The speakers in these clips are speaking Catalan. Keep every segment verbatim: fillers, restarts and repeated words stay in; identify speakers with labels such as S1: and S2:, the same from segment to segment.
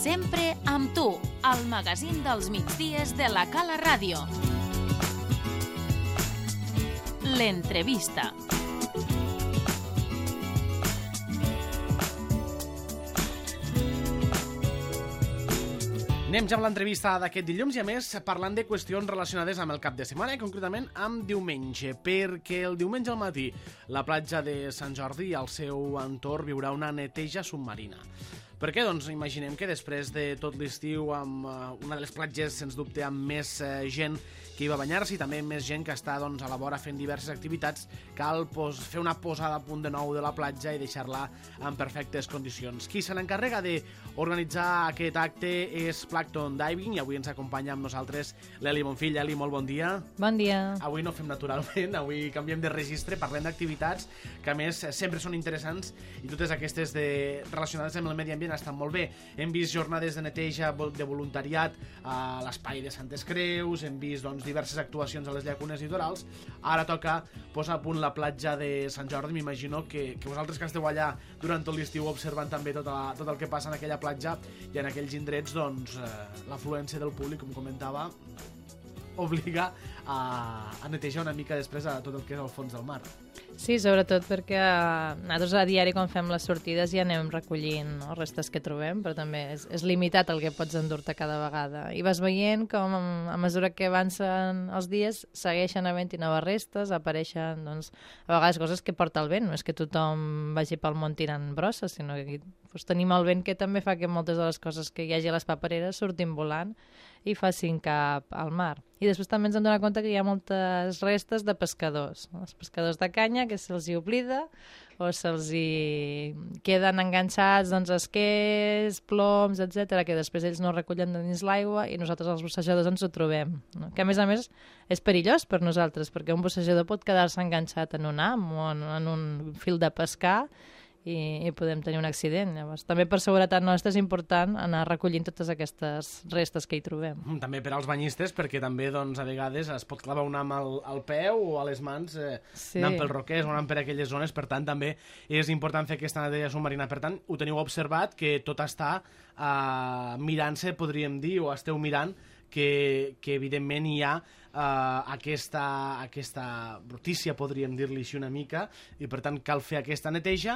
S1: Sempre amb tu, al magazín dels migdies de la Cala Ràdio. L'entrevista.
S2: Anem ja amb l'entrevista d'aquest dilluns i, a més, parlant de qüestions relacionades amb el cap de setmana i, concretament, amb diumenge, perquè el diumenge al matí la platja de Sant Jordi i el seu entorn viurà una neteja submarina. Per què? Doncs imaginem que després de tot l'estiu, amb uh, una de les platges, sens dubte, amb més uh, gent que hi va banyar-se i també més gent que està doncs, a la vora fent diverses activitats, cal pues, fer una posada a punt de nou de la platja i deixar-la en perfectes condicions. Qui se n'encarrega d'organitzar aquest acte és Plankton Diving i avui ens acompanya amb nosaltres l'Eli Bonfill. Eli, molt bon dia.
S3: Bon dia.
S2: Avui no fem naturalment, avui canviem de registre, parlem d'activitats que a més sempre són interessants i totes aquestes de... relacionades amb el medi ambient estan molt bé. Hem vist jornades de neteja de voluntariat a l'espai de Santes Creus, hem vist doncs, diverses actuacions a les llacunes litorals. Ara toca posar a punt la platja de Sant Jordi. M'imagino que, que vosaltres que esteu allà durant tot l'estiu observant també tot, la, tot el que passa en aquella platja i en aquells indrets, doncs, eh, l'afluència del públic, com comentava, obliga a, a netejar una mica després a tot el que és el fons del mar.
S3: Sí, sobretot perquè nosaltres a diari quan fem les sortides ja anem recollint no, restes que trobem, però també és, és limitat el que pots endur-te cada vegada. I vas veient com a mesura que avancen els dies segueixen havent-hi noves restes, apareixen doncs, a vegades coses que porta el vent. No és que tothom vagi pel món tirant brosses, sinó que doncs, tenim el vent que també fa que moltes de les coses que hi hagi a les papereres surtin volant i facin cap al mar. I després també ens hem donat compte que hi ha moltes restes de pescadors. Els pescadors de canya, que se'ls hi oblida o se'ls hi queden enganxats doncs, esquers, ploms, etcètera, que després ells no recullen dins l'aigua i nosaltres els bussejadors ens ho trobem. No? Que a més a més és perillós per nosaltres, perquè un bussejador pot quedar-se enganxat en un ham o en, en un fil de pescar i, i podem tenir un accident. Llavors, també per seguretat nostra és important anar recollint totes aquestes restes que hi trobem.
S2: També per als banyistes, perquè també doncs, a vegades es pot clavar un ham al, al peu o a les mans eh, sí. anant pels roquers o anant per aquelles zones, per tant també és important fer aquesta neteja submarina. Per tant, ho teniu observat que tot està eh, mirant-se, podríem dir, o esteu mirant que, que evidentment hi ha Uh, aquesta, aquesta brutícia, podríem dir-li així una mica, i per tant cal fer aquesta neteja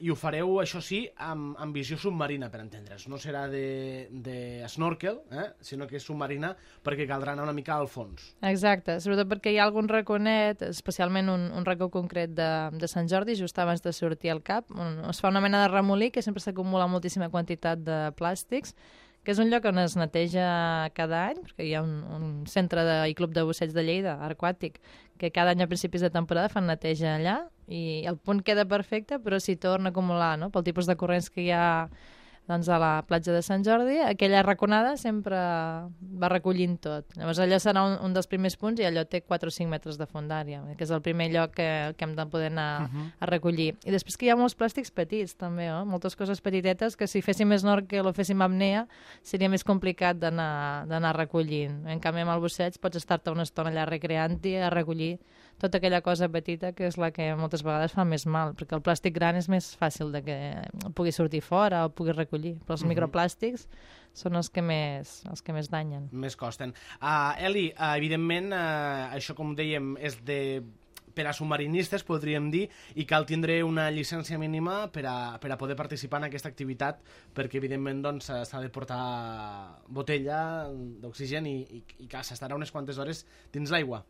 S2: i ho fareu, això sí, amb, amb visió submarina, per entendre's. No serà de, de snorkel, eh? sinó que és submarina perquè caldrà anar una mica al fons.
S3: Exacte, sobretot perquè hi ha algun raconet, especialment un, un racó concret de, de Sant Jordi, just abans de sortir al cap, on es fa una mena de remolí que sempre s'acumula moltíssima quantitat de plàstics, que és un lloc on es neteja cada any, perquè hi ha un, un centre de, i club de busseig de Lleida, aquàtic, que cada any a principis de temporada fan neteja allà i el punt queda perfecte, però s'hi torna a acumular, no? Pel tipus de corrents que hi ha doncs, a la platja de Sant Jordi, aquella raconada sempre va recollint tot. Llavors allò serà un, un dels primers punts i allò té quatre o cinc metres de fondària, que és el primer lloc que, que hem de poder anar uh-huh. a recollir. I després que hi ha molts plàstics petits també, oh? Moltes coses petitetes que si féssim snorkel o féssim apnea seria més complicat d'anar recollint. En canvi amb el busseig pots estar-te una estona allà recreant-hi a recollir tota aquella cosa petita que és la que moltes vegades fa més mal, perquè el plàstic gran és més fàcil de que pugui sortir fora o pugui recollir, però els uh-huh. microplàstics són els que més, els que més danyen.
S2: Més costen. Uh, Eli, uh, evidentment, uh, això com dèiem és de per a submarinistes, podríem dir, i cal tindre una llicència mínima per a, per a poder participar en aquesta activitat, perquè evidentment doncs, s'ha de portar botella d'oxigen i, i, i que s'estarà unes quantes hores dins l'aigua.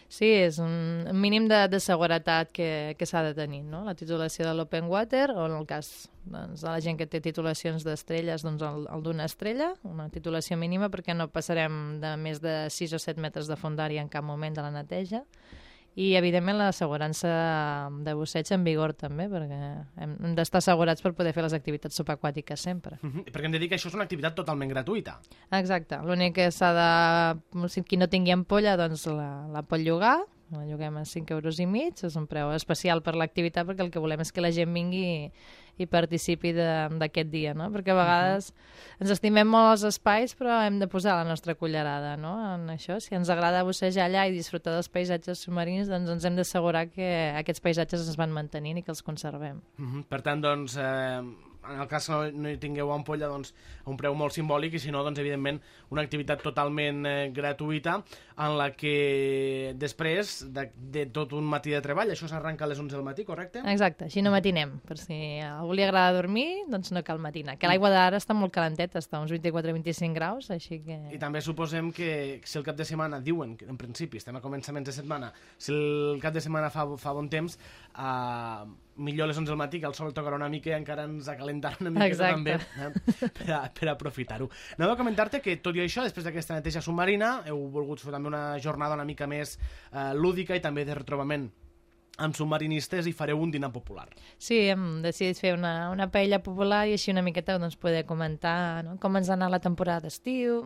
S3: Sí, és un mínim de, de seguretat que, que s'ha de tenir, no? La titulació de l'Open Water, o en el cas doncs, de la gent que té titulacions d'estrelles, doncs el, el d'una estrella, una titulació mínima perquè no passarem de més de sis o set metres de fondària en cap moment de la neteja. I, evidentment, l'assegurança de busseig en vigor, també, perquè hem d'estar assegurats per poder fer les activitats subaquàtiques sempre.
S2: Uh-huh. Perquè hem de dir que això és una activitat totalment gratuïta.
S3: Exacte. L'únic que s'ha de... Si qui no tingui ampolla, doncs la, la pot llogar. La lloguem a cinc euros i mig. És un preu especial per l'activitat, perquè el que volem és que la gent vingui i participi d'aquest dia, no? Perquè a vegades uh-huh. ens estimem molt els espais, però hem de posar la nostra cullerada, no? En això, si ens agrada bussejar allà i disfrutar dels paisatges submarins, doncs ens hem d'assegurar que aquests paisatges es van mantenint i que els conservem.
S2: Uh-huh. Per tant, doncs, eh, en el cas que no, no hi tingueu ampolla, doncs a un preu molt simbòlic, i si no, doncs evidentment una activitat totalment eh, gratuïta en la que després de, de tot un matí de treball, això s'arranca a les onze del matí, correcte?
S3: Exacte, així no matinem, per si a algú li agrada dormir, doncs no cal matinar, que l'aigua d'ara està molt calenteta, està a uns vint-i-quatre a vint-i-cinc graus, així que...
S2: I també suposem que si el cap de setmana, diuen que en principi estem a començaments de setmana, si el cap de setmana fa, fa bon temps, eh, millor a les onze del matí, que el sol tocarà una mica i encara ens acalentarà una miqueta també eh, per, a, per aprofitar-ho. Anava a comentar-te que, tot i això, després d'aquesta neteja submarina, heu volgut fer també una jornada una mica més eh, lúdica i també de retrobament amb submarinistes, i fareu un dinar popular.
S3: Sí, hem decidit fer una, una paella popular i així una miqueta doncs, poder comentar, no?, com ens ha anat la temporada d'estiu,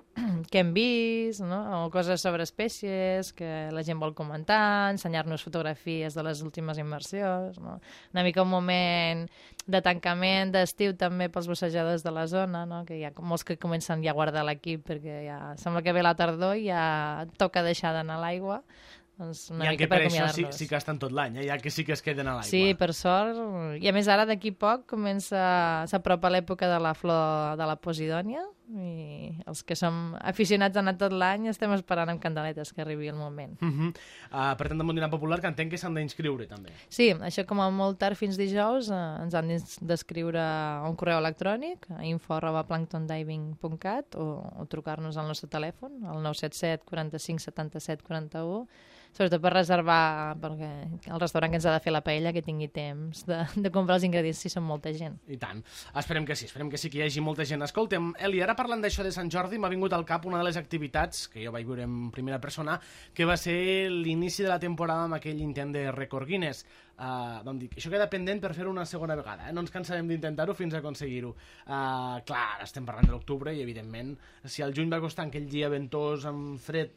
S3: què hem vist, no?, o coses sobre espècies que la gent vol comentar, ensenyar-nos fotografies de les últimes immersions, no? Una mica un moment de tancament d'estiu també pels bussejadors de la zona, no?, que hi ha molts que comencen ja a guardar l'equip perquè ja sembla que ve la tardor i ja toca deixar d'anar a l'aigua. Doncs una
S2: I
S3: mica
S2: per
S3: per
S2: això sí,
S3: acomiadar-nos.
S2: sí que estan tot l'any, eh? Ja que sí que es queden a l'aigua.
S3: Sí, per sort. I a més ara d'aquí poc comença s'apropa l'època de la flor de la Posidònia i els que som aficionats a anar tot l'any estem esperant amb candeletes que arribi el moment.
S2: Uh -huh. uh, per tant, amb un dinar popular que entenc que s'han d'inscriure també.
S3: Sí, això com a molt tard fins dijous eh, ens han d'escriure un correu electrònic a info arroba planktondiving punt cat o, o trucar-nos al nostre telèfon al nou set set quaranta-cinc setanta-set quaranta-u, sobretot per reservar, perquè el restaurant que ens ha de fer la paella que tingui temps de, de comprar els ingredients si són molta gent.
S2: I tant. Esperem que sí, esperem que sí que hi hagi molta gent. Escolta'm, Eli, ara parlant d'això de Sant Jordi, m'ha vingut al cap una de les activitats que jo vaig viure en primera persona, que va ser l'inici de la temporada amb aquell intent de rècord Guinness. Uh, vam dir, això queda pendent per fer-ho una segona vegada, eh? No ens cansarem d'intentar-ho fins a aconseguir-ho. Uh, clar, estem parlant de l'octubre i, evidentment, si el juny va costar aquell dia ventós amb fred,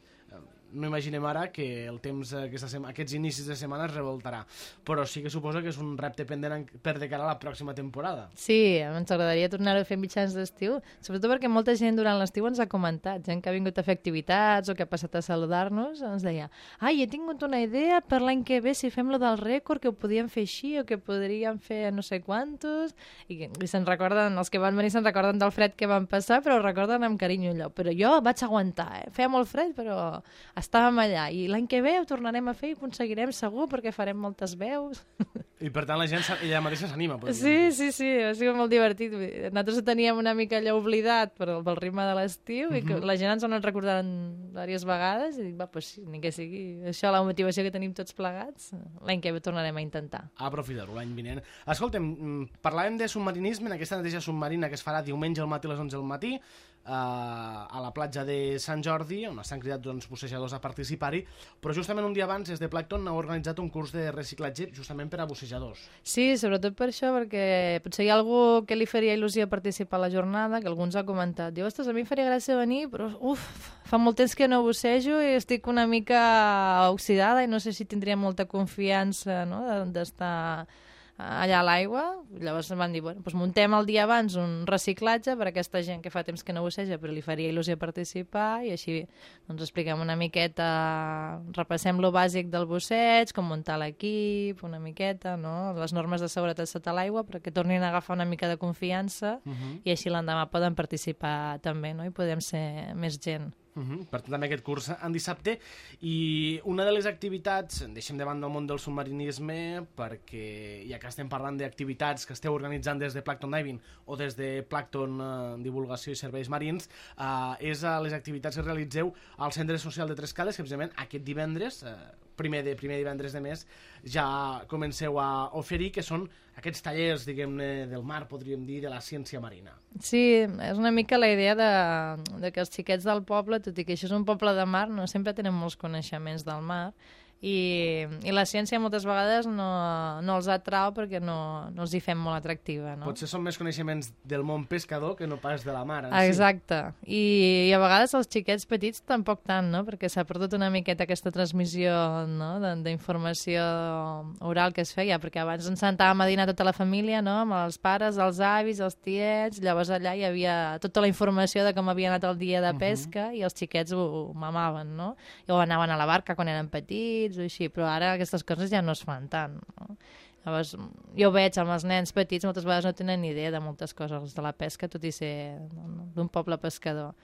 S2: no imaginem ara que el temps, aquesta sema, aquests inicis de setmana es revoltarà. Però sí que suposo que és un repte pendent per de cara a la pròxima temporada.
S3: Sí, ens agradaria tornar-ho a fer mitjans d'estiu, sobretot perquè molta gent durant l'estiu ens ha comentat, gent que ha vingut a fer activitats o que ha passat a saludar-nos, ens deia, ai, he tingut una idea per l'any que ve si fem lo del rècord, que ho podíem fer així o que podríem fer no sé quantos, i, i se'n recorden, els que van venir se'n recorden del fred que van passar, però ho recorden amb carinyo allò. Però jo vaig aguantar, eh? Feia molt fred, però estàvem allà, i l'any que ve ho tornarem a fer i ho aconseguirem segur perquè farem moltes veus.
S2: I per tant la gent ella mateixa s'anima.
S3: Sí, sí, sí, ha sigut molt divertit. Nosaltres ho teníem una mica allò oblidat pel, pel ritme de l'estiu, uh -huh. i que la gent ens ho ha anat recordant diverses vegades i dic, va, doncs sí, ni que sigui això la motivació que tenim tots plegats, l'any que ve tornarem a intentar.
S2: Aprofitar-ho l'any vinent. Escolta'm, parlàvem de submarinisme en aquesta neteja submarina que es farà diumenge al matí a les onze del matí, Uh, a la platja de Sant Jordi, on estan cridats doncs, bussejadors a participar-hi, però justament un dia abans des de Plankton heu organitzat un curs de reciclatge justament per a bussejadors.
S3: Sí, sobretot per això, perquè potser hi ha algú que li faria il·lusió participar a la jornada, que algú ens ha comentat, diu, ostres, a mi em faria gràcia venir, però uf, fa molt temps que no bussejo i estic una mica oxidada i no sé si tindria molta confiança, no?, d'estar allà a l'aigua. Llavors van dir, bueno, doncs muntem el dia abans un reciclatge per a aquesta gent que fa temps que no busseja però li faria il·lusió participar, i així doncs expliquem una miqueta, repassem lo bàsic del busseig, com muntar l'equip, una miqueta, no?, les normes de seguretat sota l'aigua perquè tornin a agafar una mica de confiança, uh -huh. i així l'endemà poden participar també, no?, i podem ser més gent.
S2: Uh -huh. Per tant, també aquest curs en dissabte. I una de les activitats, deixem de banda el món del submarinisme, perquè ja que estem parlant d'activitats que esteu organitzant des de Plankton Diving o des de Plankton eh, Divulgació i Serveis Marins, eh, és a les activitats que realitzeu al Centre Social de Tres Cales, que precisament aquest divendres, eh, primer de primer divendres de mes, ja comenceu a oferir, que són aquests tallers, diguem-ne, del mar, podríem dir, de la ciència marina.
S3: Sí, és una mica la idea de, de que els xiquets del poble, tot i que això és un poble de mar, no sempre tenen molts coneixements del mar, i, i la ciència moltes vegades no, no els atrau perquè no, no els hi fem molt atractiva, no?
S2: Potser són més coneixements del món pescador que no pas de la mar en
S3: Exacte,
S2: si.
S3: I, i a vegades els xiquets petits tampoc tant, no?, perquè s'ha perdut una miqueta aquesta transmissió, no?, d'informació oral que es feia, perquè abans ens sentàvem a dinar tota la família, no?, amb els pares, els avis, els tiets, llavors allà hi havia tota la informació de com havia anat el dia de pesca, uh -huh. i els xiquets ho, ho mamaven, no?, i o anaven a la barca quan eren petits o així, però ara aquestes coses ja no es fan tant, no? Llavors, jo veig amb els nens petits, moltes vegades no tenen ni idea de moltes coses de la pesca, tot i ser d'un poble pescador.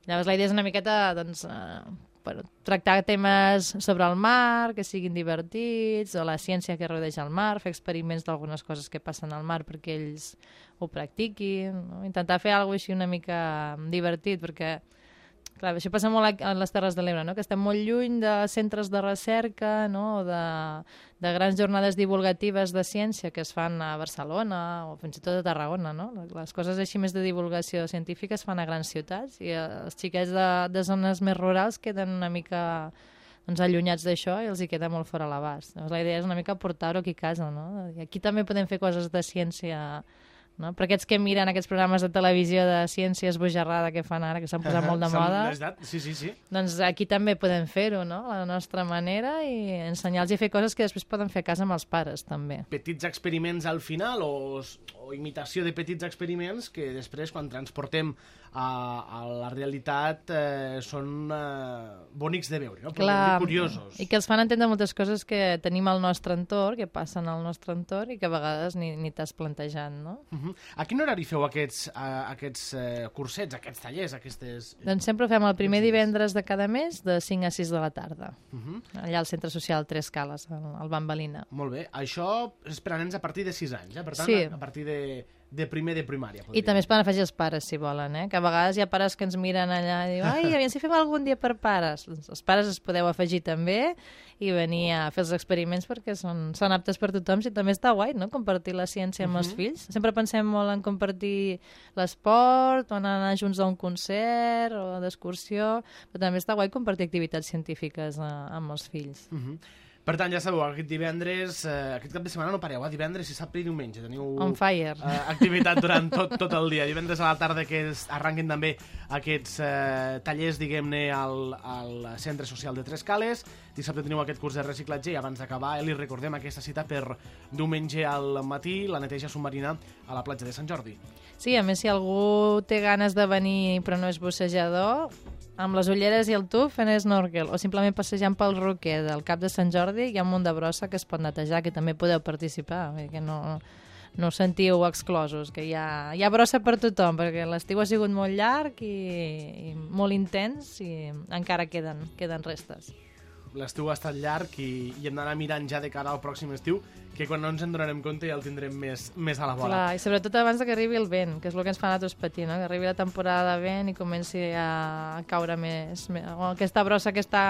S3: Llavors, la idea és una miqueta, doncs, eh, per tractar temes sobre el mar, que siguin divertits, o la ciència que rodeja el mar, fer experiments d'algunes coses que passen al mar perquè ells ho practiquin, no? Intentar fer alguna cosa així una mica divertit, perquè clar, això passa molt a les Terres de l'Ebre, no? Que estem molt lluny de centres de recerca, no? de, de grans jornades divulgatives de ciència que es fan a Barcelona o fins i tot a Tarragona. No? Les coses així més de divulgació científica es fan a grans ciutats i els xiquets de, de zones més rurals queden una mica doncs, allunyats d'això i els hi queda molt fora l'abast. Llavors, la idea és una mica portar-ho aquí a casa. No? I aquí també podem fer coses de ciència. No? Per aquests que miren aquests programes de televisió de ciència esbojarrada que fan ara, que s'han posat molt de moda,
S2: sí, sí, sí.
S3: doncs aquí també podem fer-ho, no? A la nostra manera, i ensenyar-los a fer coses que després poden fer a casa amb els pares, també.
S2: Petits experiments al final, o, o imitació de petits experiments que després, quan transportem a, a la realitat, eh, són eh, bonics de veure, no?
S3: Clar,
S2: curiosos.
S3: I que els fan entendre moltes coses que tenim al nostre entorn, que passen al nostre entorn i que a vegades ni, ni t'has plantejat, no?
S2: Uh-huh. A quin horari feu aquests, uh, aquests uh, cursets, aquests tallers, aquestes...
S3: Doncs sempre ho fem el primer divendres de cada mes de cinc a sis de la tarda,
S2: uh-huh. allà
S3: al Centre Social Tres Cales, al Bambalina.
S2: Molt bé. Això és per a nens a partir de sis anys, eh? Per tant,
S3: sí.
S2: a partir de, de primer de primària.
S3: I també es poden afegir els pares, si volen, eh? Que a vegades hi ha pares que ens miren allà i diuen, ai, aviam si fem algun dia per pares. Els pares es podeu afegir també i venir a fer els experiments perquè són, són aptes per tothom i també està guai, no?, compartir la ciència amb uh-huh. els fills. Sempre pensem molt en compartir l'esport o en anar junts a un concert o d'excursió, però també està guai compartir activitats científiques eh, amb els fills.
S2: Uh-huh. Per tant, ja sabeu, aquest divendres, eh, aquest cap de setmana no pareu, eh? Divendres, dissabte i diumenge. Teniu
S3: On fire.
S2: Eh, activitat durant tot, tot el dia. Divendres a la tarda que es, arranquen també aquests eh, tallers, diguem-ne, al, al Centre Social de Tres Cales. Dissabte teniu aquest curs de reciclatge i abans d'acabar, eh, li recordem aquesta cita per diumenge al matí, la neteja submarina a la platja de Sant Jordi.
S3: Sí, a més, si algú té ganes de venir però no és bussejador, amb les ulleres i el tub fent snorkel o simplement passejant pel roquer del Cap de Sant Jordi hi ha un munt de brossa que es pot netejar, que també podeu participar, que no, no us sentiu exclosos, que hi ha, hi ha brossa per tothom, perquè l'estiu ha sigut molt llarg i, i molt intens i encara queden, queden restes.
S2: L'estiu ha estat llarg i, i hem d'anar mirant ja de cara al pròxim estiu, que quan no ens en donarem compte ja el tindrem més, més a la bola.
S3: Clar, i sobretot abans que arribi el vent, que és el que ens fa a nosaltres patir, no? Que arribi la temporada de vent i comenci a caure més, més o aquesta brossa que està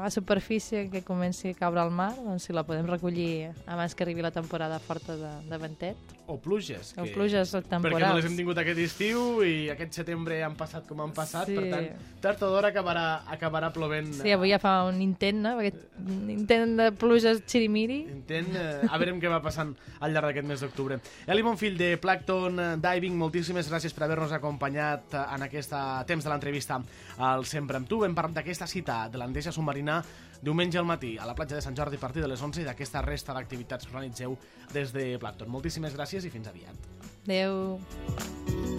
S3: a superfície, que comenci a caure al mar, doncs si la podem recollir abans que arribi la temporada forta de, de ventet.
S2: O pluges.
S3: O
S2: que...
S3: pluges temporals.
S2: Perquè no les hem tingut aquest estiu i aquest setembre han passat com han passat,
S3: sí.
S2: Per tant, tard o d'hora acabarà, acabarà plovent.
S3: Sí, avui ja fa un intent, no? Aquest intent de pluges xirimiri.
S2: Intent, eh, a veure què va passant al llarg d'aquest mes d'octubre. Eli Bonfill, de Plankton Diving, moltíssimes gràcies per haver-nos acompanyat en aquest temps de l'entrevista al Sempre amb tu. Hem parlat d'aquesta cita de la neteja submarina diumenge al matí a la platja de Sant Jordi a partir de les onze i d'aquesta resta d'activitats que organitzeu des de Plankton. Moltíssimes gràcies i fins aviat.
S3: Adéu.